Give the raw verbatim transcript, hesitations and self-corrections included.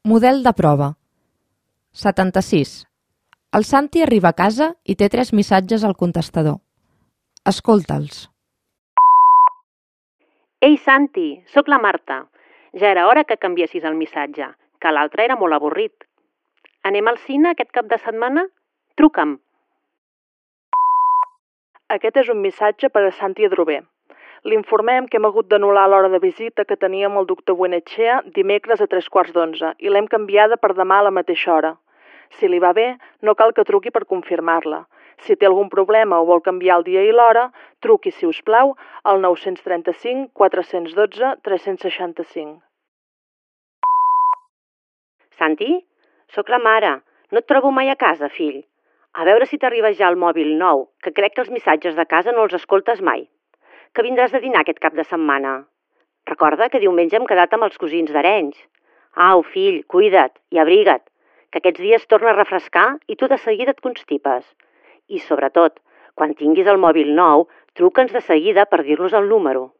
Model de prova. setanta-sis. El Santi arriba a casa i té tres missatges al contestador. Escolta'ls. Ei, Santi, sóc la Marta. Ja era hora que canviessis el missatge, que l'altre era molt avorrit. Anem al cine aquest cap de setmana? Truca'm. Aquest és un missatge per a Santi Adrover. L'informem que hem hagut d'anul·lar l'hora de visita que teníem el doctor Buenechea dimecres a tres quarts d'onze i l'hem canviada per demà a la mateixa hora. Si li va bé, no cal que truqui per confirmar-la. Si té algun problema o vol canviar el dia i l'hora, truqui, si us plau, al nou tres cinc, quatre un dos, tres sis cinc. Santi, sóc la mare. No et trobo mai a casa, fill. A veure si t'arriba ja el mòbil nou, que crec que els missatges de casa no els escoltes mai. Que vindràs de dinar aquest cap de setmana. Recorda que diumenge hem quedat amb els cosins d'Arenys. Au, fill, cuida't i abriga't, que aquests dies torna a refrescar i tu de seguida et constipes. I, sobretot, quan tinguis el mòbil nou, truca'ns de seguida per dir-nos el número.